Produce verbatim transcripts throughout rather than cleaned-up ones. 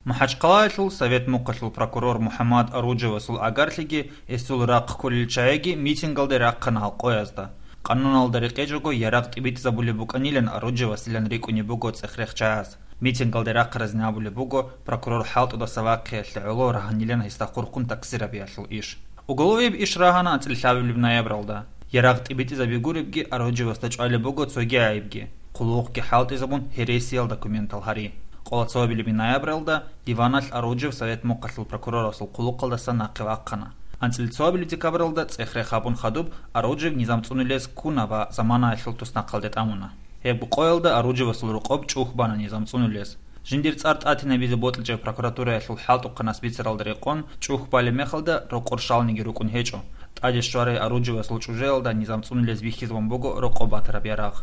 МахӀачхъалаялъул Совет мухъалъул прокурор МухӀаммад Аруджевасул агарлъиги гьесул рахъ кколел чагӀиги митингалде рахъана гьал къоязда. Къануналда рекъечӀого ярагъ тӀибитӀизабулеб букӀанилан Аруджевасилан рикӀкӀунеб буго цӀех-рех чагӀаз. Митингалде рахъаразин абулеб буго прокурор хӀалтӀудаса вахъиялъе гӀоло рагьанилан гьесда хурхун такъсир гьабиялъул иш. Уголовияб иш рагьана анцӀила лъабабилеб ноябралда. Ярагъ тӀибитӀизаби гуребги, Аруджевасда чӀвалеб буго цоги гӀайибги. Хъулухъги хӀалтӀизабун гьересиял документал гьари. Къоло цоабилеб ноябралда диваналъ Аруджев Совет мухъалъул прокурорасул хъулухъалдаса нахъе вахъана. АнцӀила цоабилеб декабралда цӀех-рех гьабун хадуб, Аруджев низам цӀунулез ккуна ва заманаялъул туснахъалде тӀамуна. Гьеб къоялда Аруджевасул рокъоб чӀухь бана низам цӀунулез. Жиндир цӀар тӀатинабизе бокьичӀеб прокуратураялъул хӀалтӀухъанас бицаралда рекъон, чӀухь балеб мехалда рокъор щалниги рукӀун гьечӀо. ТӀаде щварай Аруджевасул чӀужуялда низам цӀунулез бихьизабун буго рокъоб батараб ярагъ.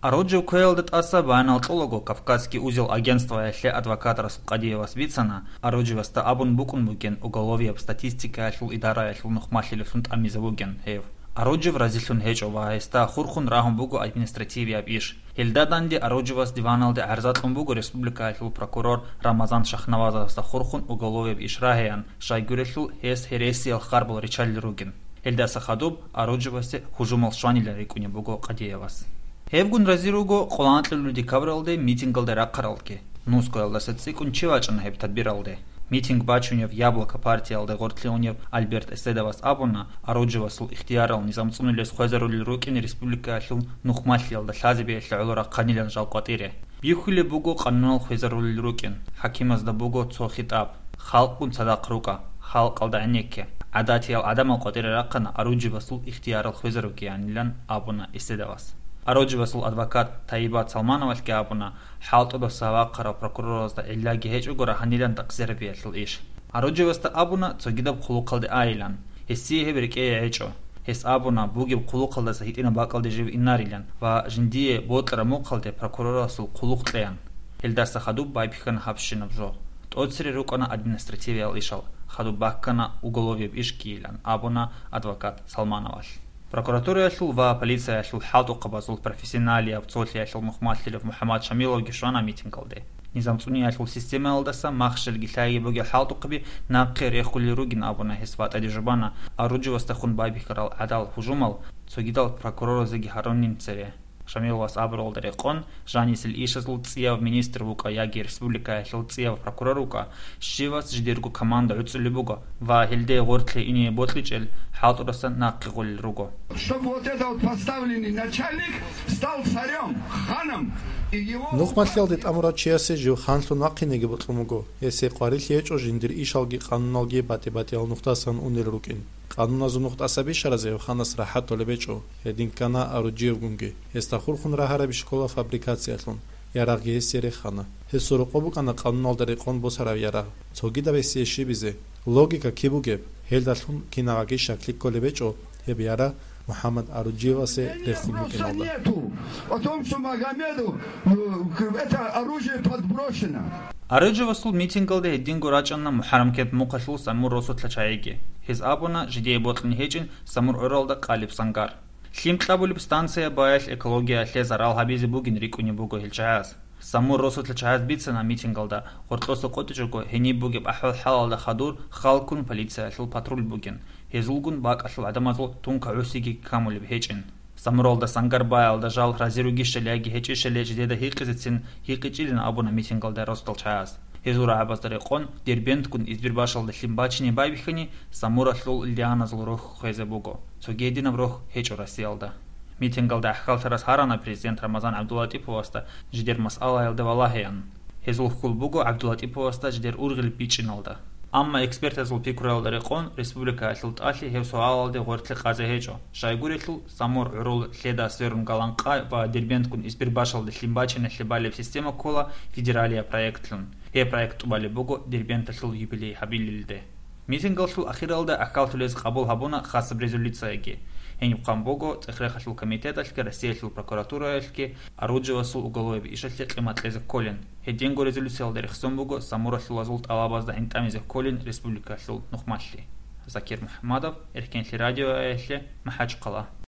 Аруджев кквеялда тӀаса баянал кьолаго Кавказский узел агентствоялъе адвокат Расул Къадиевас бицана, Аруджевасда абун букӀун бугин уголовияб статистикаялъул идараялъул нухмалъилевлъун тӀамизабугин гьев. Аруджев разилъун гьечӀо ва гьесда хурхун рагьун буго административияб иш. Гьелда данде Аруджевас диваналде гӀарза кьун буго республикаялъул прокурор Рамазан Шахнавазовасда хурхун уголовияб иш рагьеян, щайгурелъул гьес гьересиял харбал риччалел ругин. Гьелдаса хадуб Аруджевасе гьужумал щванилан рикӀкӀунеб буго Къадиевас. Гьевгун рази руго къоло анкьабилеб декабралде митингалде рахъаралги. Нускоялдаса цӀикӀкӀун чи вачӀана гьеб тадбиралде. Митинг бачунев «Яблоко» партиялда гъоркье унев Альберт Эседовас абуна, Аруджевасул ихтиярал низам цӀунулез хвезарулел рукӀин республикаялъул нухмалъиялда лъазабиялъе гӀоло рахъанилан жал къватӀире. Бихьулеб буго къанунал хвезарулел рукӀин, хӀакимазда буго цо хитӀаб: «Халкъгун цадахъ рукӀа, халкъалда гӀенекке». ГӀадатиял гӀадамал къватӀире рахъана Аруджевасул ихтиярал хвезарукӀиянилан абуна Эседовас. Аруджевасул адвокат Таибат Салмановалъги абуна, хӀалтӀудаса вахъарав прокуроразда гӀиллаги гьечӀого рагьанилан такъсирабиялъул иш. Аруджевасда абуна цогидаб хъулухъалде айилан. Гьесие гьеб рекӀее гьечӀо. Гьес абуна, бугеб хъулухъалдаса гьитӀинаб бакӀалде жив инарилан ва жиндие бокьараб мухъалде прокурорасул хъулухъ кьеян. Гьелдаса хадуб байбихьана гьабщинаб жо. ТӀоцере рукӀана административиял ишал, хадуб баккана уголовияб иш ккейилан, абуна адвокат Салмановалъ. Прокуратураялъул ва полициялъул хӀалтӀухъабазул профессионалияб цолъиялъул мухмалъилев МухӀаммад Шамиловги щвана митингалде. Низам цӀуниялъул системаялдаса махщелги лъаги бугел хӀалтӀухъаби нахъе рехулел ругин абуна гьес ва тӀаде жубана Аруджевасдехун байбихьарал гӀадал гьужумал цогидал прокуроразеги гьарунин цере. Шамиловас абуралда рекъон, жанисел ишазул цӀияв министр вукӀа яги республикаялъул цӀияв прокурор вукӀа, щивас жидерго команда гӀуцӀулеб буго ва гьелде гъоркье ине бокьичӀел хӀалтӀудаса нахъе гъолел руго. Чтобы вот этот вот поставленный начальник стал царем, ханом, и его... Нухмалъиялде тӀамурав чиясе жив ханлъун вахъинеги бокьун буго, гьесие къварилъи гьечӀо жиндир ишалги къануналги батӀи-батӀиял нухдасан унел рукӀин. Къануназул нухдаса бищаразе гьев ханас рахӀат толеб гьечӀо, гьедин ккана Аруджиевгунги. Гьесда хурхун рагьараби щкола фабрикациялъун, ярагъги гьесие рехана. Гьесул рокъоб букӀана къануналда рекъон босараб ярагъ. Цогидаб гьесие щибизе, логика киб бугеб, гьелдалъун кинагӀаги щаклъи кколеб гьечӀо гьеб ярагъ МухӀаммад Аруджиевасе рехун букӀиналда. О том, что Магомеду, э, это оружие подброшено. Аруджевасул митингалде гьединго рачӀана МухӀаррамкент мухъалъул Самур росулъа чагӀиги. Гьез абуна, жидее бокьун гьечӀин Самур гӀуралда къалеб сангар. Лъим кьабулеб станция баялъ экологиялъе зарал гьабизе бугин рикӀкӀунеб буго гьел чагӀаз. Самур росулъа чагӀаз бицана митингалда, гъоркьоса къотӀичӀого гьениб бугеб ахӀвал-хӀалалда хадур халкун полициялъул патруль бугин, гьезулгун бакӀалъул гӀадамазул тункагӀусиги камулеб гьечӀин. Самуралда сангар баялда жал рази ругищали яги гьечӀищали жидеда гьикъизецин гьикъичӀилин абуна митингалда росдал чагӀаз. Гьезул рагӀабазда рекъон, Дербентгун Избербашалда лъим бачине байбихьани, Самуралъул лианазул рохь хвезе буго. Цоги гьединаб рохь гьечӀо Россиялда. Митингалда гӀахьаллъарас гьарана президент Рамазан ГӀабдулатӀиповасда жидер масъалаялда валагьеян. Гьезул хьул буго ГӀабдулатӀиповасда жидер ургъел бичӀчӀиналда. Амма экспертазул пикруялда рекъон, республикаялъул тӀалъи гьев суалалде гъоркье къазе гьечӀо. Щайгурелъул, Самур гӀурул лъеда сверун Галанкъа ва Дербентгун Избербашалда лъим бачиналъе балеб система ккола федералияб проектлъун. Гьеб проект тӀубалеб буго Дербенталъул юбилей гьабилелде. Митингалъул ахиралда гӀахьаллъулез къабул гьабуна хасаб резолюцияги. Гьениб хъван буго ЦӀех-рехалъул комитеталъги Россиялъул прокуратураялъги Аруджевасул уголовияб ишалъе къимат кьезе кколин. Гьединго резолюциялда рехсон буго Самуралъулазул тӀалабазда гӀинтӀамизе кколин республикалъул нухмалъи. Закир МухӀаммадов, Эркенлъи радиоялъе, МахӀачхъала.